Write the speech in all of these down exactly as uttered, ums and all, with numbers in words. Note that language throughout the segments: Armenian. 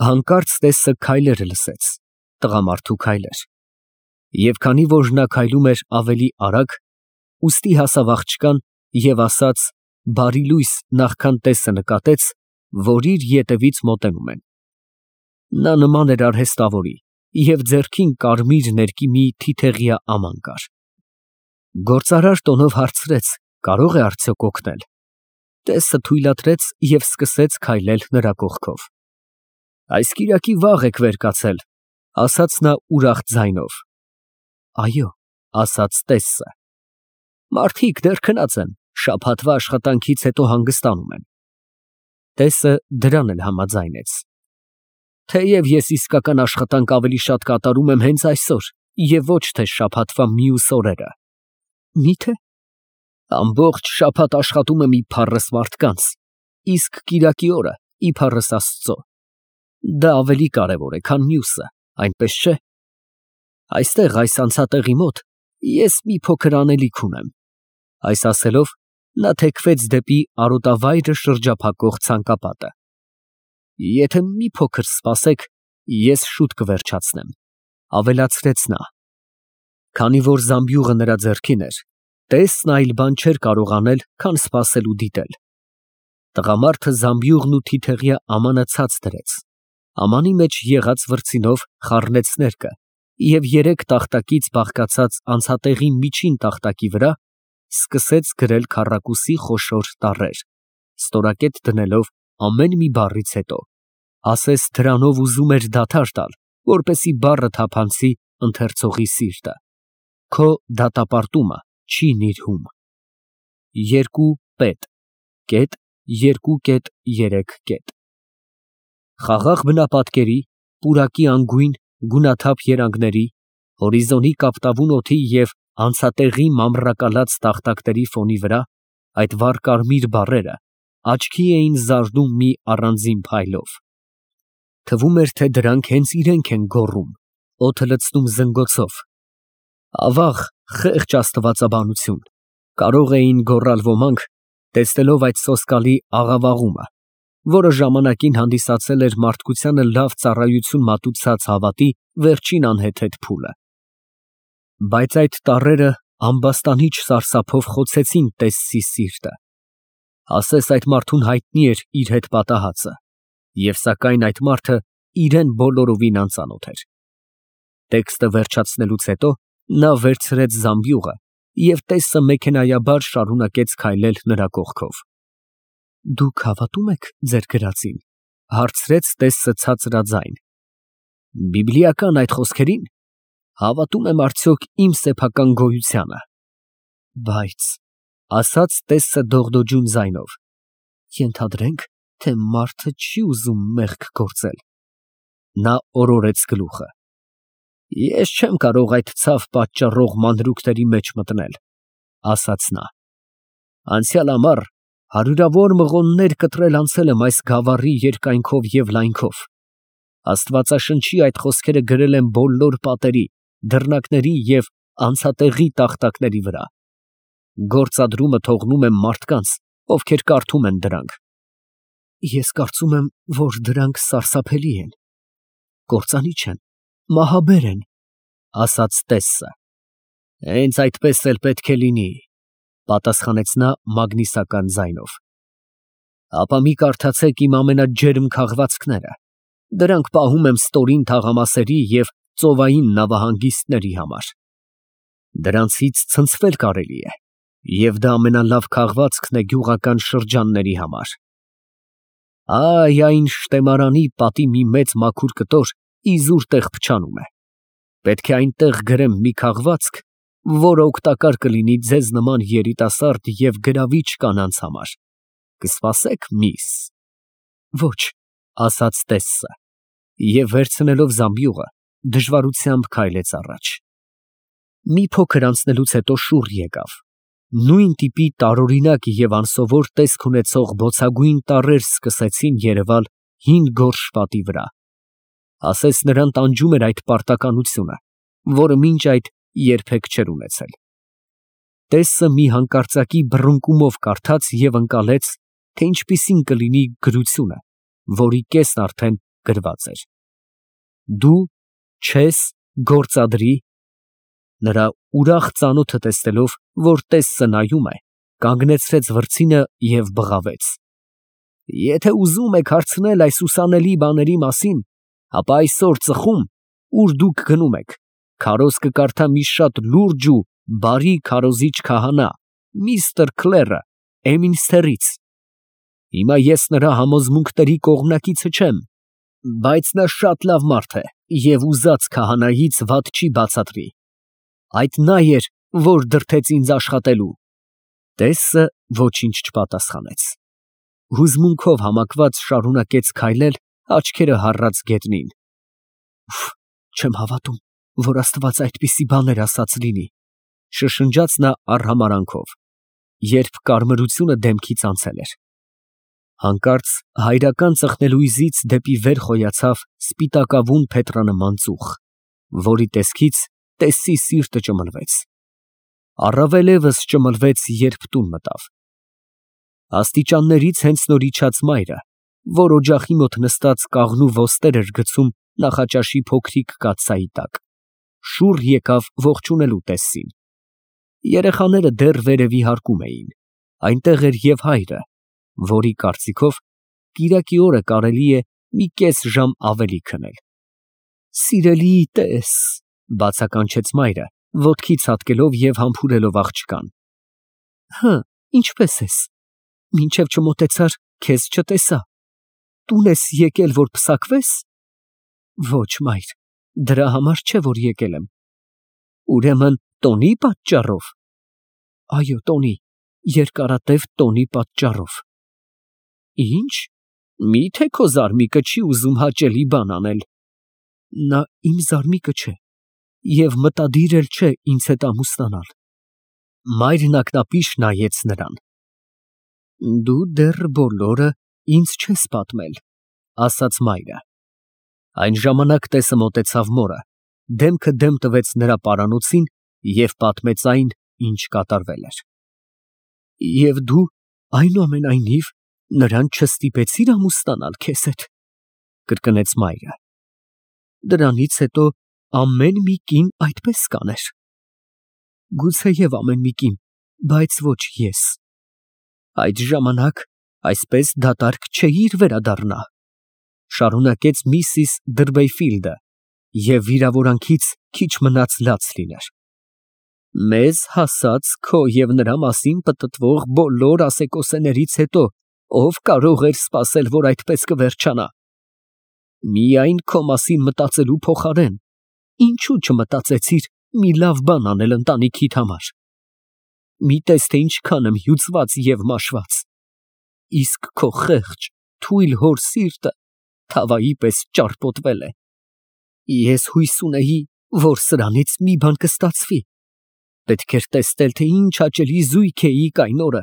Հանկարծ տեսը քայլեր լսեց, տղամարդու քայլեր, և քանի որ նա քայլում էր ավելի արագ, ուստի հասավ աղջկան և ասաց բարի լույս նախքան տեսը նկատեց, որ իր ետևից մոտենում են. նա նման էր արհեստավորի և ձեռքին կարմիր ներկի մի թիթեղյա աման կար։ Գործարար տոնով հարցրեց. կարո՞ղ է արդյոք օգնել։ Տեսը թույլատրեց և սկսեց քայլել նրա կողքով։ Այս կիրակի վաղ եք վեր կացել, ասաց նա ուրախ ձայնով։ Այո, ասաց տեսը։ Մարդիկ դեռ քնած են, շաբաթվա աշխատանքից հետո հանգստանում են։ Տեսը դրան էլ համաձայնեց։ Թեև ես իսկական աշխատանք ավելի շատ կատարում եմ հենց այսօր և ոչ թե շաբաթվա մյուս օրերը։ Մի՞թե։ Ամբողջ շաբաթ աշխատում եմ իբառս մարդկանց, իսկ կիրակի օրը իբառս Աստծո։ Դա ավելի կարևոր է, քան մյուսը, այնպես չէ։ Այստեղ, այս անցատեղի մոտ, ես մի փոքր անելիք ունեմ։ Այս ասելով, նա թեքվեց դեպի արոտավայրը շրջափակող ցանկապատը։ Եթե մի փոքր սպասեք, ես շուտ կվերջացնեմ, ավելացրեց նա։ Քանի որ զամբյուղը նրա ձեռքին էր, տեսն այլ բան չէր կարող անել, քան սպասել ու դիտել։ Տղամարդը զամբյուղն ու թիթեղյա ամանը ցած դրեց, ամանի մեջ եղած վրձինով խառնեց ներկը և երեք տախտակից բաղկացած անցատեղի միջին տախտակի վրա սկսեց գրել քառակուսի խոշոր տառեր, ստորակետ դնելով ամեն մի բառից հետո, ասես դրանով ուզում էր դադար տալ, որպեսզի բառը թափանցի ընթերցողի սիրտը։ Քո դատապարտումը չի նիրհում։ Երկու պետ, կետ, երկու կետ, երեք կետ։ Խաղաղ բնապատկերի, պուրակի անգույն, գունաթափ երանգների, հորիզոնի կապտավուն օդի և անցատեղի մամռակալած տախտակների ֆոնի վրա այդ վառ կարմիր բառերը աչքի էին զարդում մի առանձին փայլով։ Թվում էր, թե դրանք հենց իրենք են գոռում, օդը լցնում զնգոցով։ Ավաղ, խեղճ աստվածաբանություն, կարող էին գոռալ ոմանք, տեսնելով այդ սոսկալի աղավաղումը, որը ժամանակին հանդիսացել էր մարդկությանը լավ ծառայություն մատուցած հավատի վերջին անհեթեթ փուլը։ Բայց այդ տառերը ամբաստանիչ սարսափով խոցեցին տեսցի սիրտը։ Ասես այդ մարդուն հայտնի էր իր հետ պատահածը, և սակայն այդ մարդը իրան բոլորովին անծանոթ էր։ Տեքստը վերջացնելուց հետո նա վերցրեց զամբյուղը և տեսը մեքենայաբար շարունակեց քայլել նրա կողքով։ Դուք հավատո՞ւմ եք ձեր գրածին, հարցրեց տեսը ցածրաձայն։ Բիբլիական այդ խոսքերին, հավատում եմ արդյոք իմ սեփական գոյությանը։ Բայց, ասաց տեսը դողդոջուն ձայնով, ենթադրենք, թե մարդը չի ուզում մեղք գործել։ Նա օրորեց գլուխը։ Ես չեմ կարող այդ ցավ պատճառող մանրուքների մեջ մտնել, ասաց նա։ Անցյալ ամառ հարյուրավոր մղոններ կտրել անցել եմ այս գավառի երկայնքով և լայնքով։ Աստվածաշնչի այդ խոսքերը գրել եմ բոլոր պատերի, դռնակների և անցատեղի տախտակների վրա։ Գործադրումը թողնում եմ մարդկանց, ովքեր կարդում են դրանք։ Ես կարծում եմ, որ դրանք սարսափելի են, կործանիչ են, մահաբեր են, ասաց տեսը։ Հենց այդպես էլ պետք է լինի, պատասխանեց նա մագնիսական ձայնով։ Ապա մի կարդացեք իմ ամենաջերմ քաղվածքները, դրանք պահում եմ ստորին թաղամասերի և ծովային նավահանգիստների համար։ Դրանցից ցնցվել կարելի է, և դա ամենալավ քաղվածքն է գյուղական շրջանների համար։ Այ այն շտեմարանի պատի մի մեծ մաքուր կտոր իզուր տեղ փչանում է։ Պետք է այնտեղ գրեմ մի քաղվածք, որը օգտակար կլինի ձեզ նման երիտասարդ և գրավիչ կանանց համար։ Կսպասե՞ք, միս։ Ոչ, ասաց տեսը, և վերցնելով զամբյուղը, դժվարությամբ քայլեց առաջ։ Մի փոքր անցնելուց հետո շուռ եկավ։ Նույն տիպի տարօրինակ և անսովոր տեսք ունեցող բոցագույն տառեր սկսեցին երևալ հին գորշ պատի վրա։ Ասես նրան տանջում էր այդ պարտականությունը, որը մինչ այդ երբեք չէր ունեցել։ Տեսը մի հանկարծակի բռնկումով կարդաց և ընկալեց, թե ինչպիսին կլինի գրությունը, որի կեսն արդեն գրված էր. Դու չես գործադրի։ Նրա ուրախ ծանոթը տեսնելով, որ տեսը նայում է, կանգնեցրեց վրձինը և բղավեց. Եթե ուզում եք հարցնել այս ուսանելի բաների մասին, ապա այսօր ծխում, ուր դուք գնում եք, քարոզ կկարդա մի շատ լուրջ ու բարի քարոզիչ քահանա, միստր Քլերը, Էմինսթերից։ Հիմա ես նրա համոզմունքների կողմնակիցը չեմ, բայց նա շատ լավ մարդ է և ուզած քահանայից վատ չի բացատրի։ Այդ նա էր, որ դրդեց ինձ աշխատելու։ Տեսը ոչինչ չպատասխանեց։ Հուզմունքով համակված շարունակեց քայլել, աչքերը հառած գետնին։ Չեմ հավատում, որ Աստված այդպիսի բաներ ասած լինի, շշնջաց նա արհամարանքով, երբ կարմրությունը դեմքից անցել էր։ Հանկարծ հայրական ծխնելույզից դեպի վեր խոյացավ սպիտակավուն փետրանման ծուխ, որի տեսքից տեսի սիրտը ճմլվեց։ Առավել ևս ճմլվեց, երբ տուն մտավ։ Աստիճաններից հենց նոր իջած մայրը, որ օջախի մոտ նստած կաղնու ոստեր էր գցում նախաճաշի փոքրիկ կաթսայի տակ, շուռ եկավ ողջունելու տեսին։ Երեխաները դեռ վերևի հարկում էին, այնտեղ էր և հայրը, որի կարծիքով կիրակի օրը կարելի է մի կես ժամ ավելի քնել։ Սիրելի տես, բացականչեց մայրը, ոտքի ցատկելով և համբուրելով աղջկան։ Հը, ինչպես ես։ Մինչև չմոտեցար, քեզ չտեսա։ Տուն ես եկել, որ պսակվես։ Ոչ, մայր, դրա համար չէ, որ եկել եմ։ Ուրեմն տոնի պատճառով։ Այո, տոնի, երկարատև տոնի պատճառով։ Ինչ, միթե քո զարմիկը չի ուզում հաճելի բան անել։ Նա իմ զարմիկը չէ և մտադիր էլ չէ ինձ հետ ամուսնանալ։ Մայրն ակնապիշ նայեց նրան։ Դու դեռ բոլորը ինձ չես պատմել, ասաց մայրը։ Այն ժամանակ տեսը մոտեցավ մորը, դեմքը դեմ տվեց նրա պարանոցին և պատմեց այն, ինչ կատարվել էր։ Եվ դու, այնուամենայնիվ, նրան չստիպեցիր ամուսնանալ քեզ հետ, կրկնեց մայրը։ Դրանից հետո ամեն մի կին այդպես կաներ։ Գուցեև ամեն մի կին, բայց ոչ ես։ Այդ ժամանակ այսպես դատարկ չէիր վերադառնա, շարունակեց միսիս Դրվեյֆիլդը, և վիրավորանքից քիչ մնաց լաց լիներ։ Մեզ հասած քո և նրա մասին պտտվող բոլոր ասեկոսեներից հետո ով կարող էր սպասել, որ այդպես կվերջանա։ Միայն քո մասին մտածելու փոխարեն, ինչու չմտածեցիր մի լավ բան անել ընտանիքիդ համար։ Մի տես, թե ինչքան եմ հյուծված և մաշված։ Իսկ քո խեղճ, թույլ հոր սիրտը թավայի պես ճարպոտվել է։ Ես հույս ունեի, որ սրանից մի բան կստացվի։ Պետք էր տեսնել, թե ինչ հաճելի զույգ էիք այն օրը,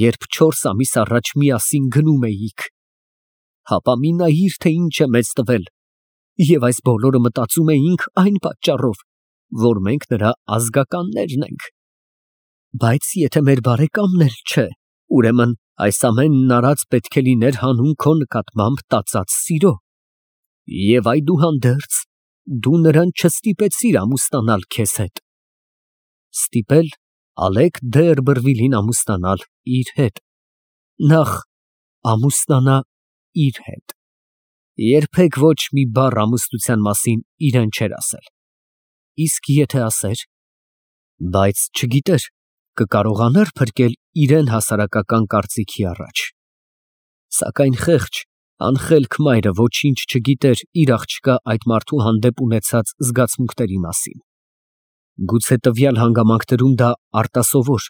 երբ չորս ամիս առաջ միասին գնում էիք։ Հապա մի նայիր, թե ինչ է մեզ տվել, և այս բոլորը մտածում էինք այն պատճառով, որ մենք նրա ազգականներն ենք։ Բայց եթե մեր բարեկամն էլ չէ, ուրեմն այս ամենն արած պետք է լիներ հանուն քո նկատմամբ տածած սիրո։ Եվ այդուհանդերձ, դու նրան չստիպեցիր ամուսնանալ քեզ հետ։ Ստիպել Ալեկ դե Էրբրվիլին ամուսնանալ իր հետ։ Նախ ամուսնանա իր հետ։ Երբեք ոչ մի բառ ամուսնության մասին իրան չէր ասել։ Իսկ եթե ասեր, բայց չգիտեր, կկարողանա՞ր փրկել իրան հասարակական կարծիքի առաջ։ Սակայն խեղճ, անխելք մայրը ոչինչ չգիտեր իր աղջկա այդ մարդու հանդեպ ունեցած զգացմունքների մասին։ Գուցե տվյալ հանգամանքներում դա արտասովոր,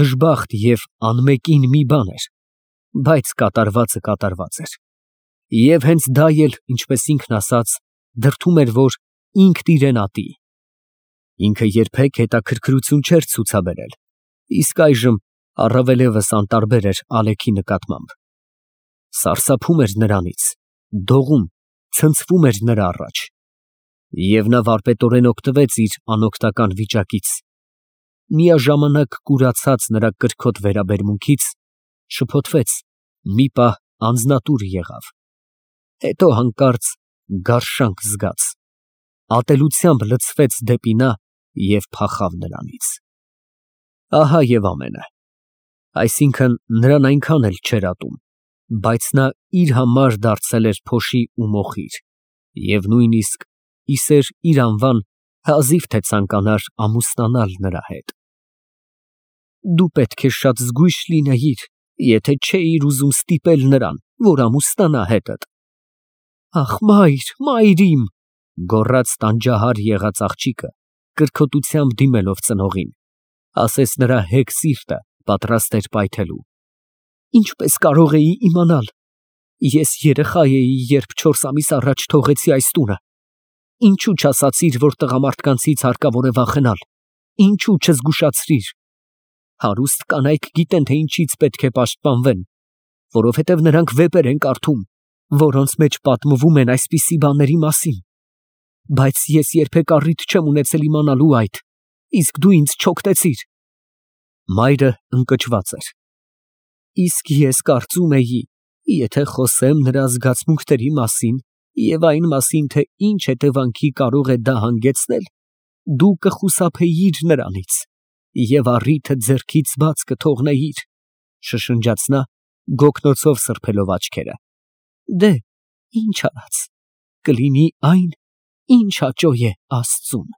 դժբախտ և անմեկին մի բան էր, բայց կատարվածը կատարված էր։ Եվ հենց դա էլ, ինչպես ինքն ասաց, դրդում էր, որ ինքն իրեն ատի։ Ինքը երբեք հետաքրքրություն չէր ցուցաբերել, իսկ այժմ առավել ևս անտարբեր էր Ալեքի նկատմամբ։ Սարսափում էր նրանից, դողում, ցնցվում էր նրա առաջ։ Եվ նա վարպետորեն օգտվեց իր անօգնական վիճակից։ Միաժամանակ կուրացած նրա կրքոտ վերաբերմունքից, շփոթվեց, մի պահ անձնատուր եղավ։ հետո հանկարծ գարշանք զգաց, ատելությամբ լցվեց դեպի նա և փախավ նրանից։ Ահա և ամենը, այսինքն նրան այնքան էլ չէր ատում, բայց նա իր համար դարձել էր փոշի ու մոխիր և նույնիսկ իսեր իր անվան հազիվ թե ցանկանար ամուսնանալ նրա հետ։ Դու պետք է շատ զգույշ լինեիր, եթե չէիր ուզում ստիպել նրան, որ ամուսնանա հետդ։ Ախ, մայր, մայր իմ, գոռաց տանջահար եղած աղջիկը, կրքոտությամբ դիմելով ծնողին, ասես նրա հեգ սիրտը պատրաստ էր պայթելու։ Ինչպես կարող էի իմանալ։ Ես երեխա էի, երբ չորս ամիս առաջ թողեցի այս տունը։ Ինչու չասացիր, որ տղամարդկանցից հարկավոր է վախենալ։ Ինչու չզգուշացրիր։ Հարուստ կանայք գիտեն, թե ինչից պետք է պաշտպանվեն, որովհետև նրանք վեպեր են կարդում, որոնց մեջ պատմվում են այսպիսի բաների մասին։ Բայց ես երբեք առիթ չեմ ունեցել իմանալու այդ, իսկ դու ինձ չօգնեցիր։ Մայրը ընկճված էր։ Իսկ ես կարծում էի, եթե խոսեմ նրա զգացմունքների մասին և այն մասին, թե ինչ հետևանքի կարող է դա հանգեցնել, դու կխուսափեիր նրանից և առիթը ձեռքից բաց կթողնեիր, շշնջաց նա, գոգնոցով սրբելով աչքերը։ Դե, ինչ արած, կլինի այն, ինչ հաճո է Աստծուն։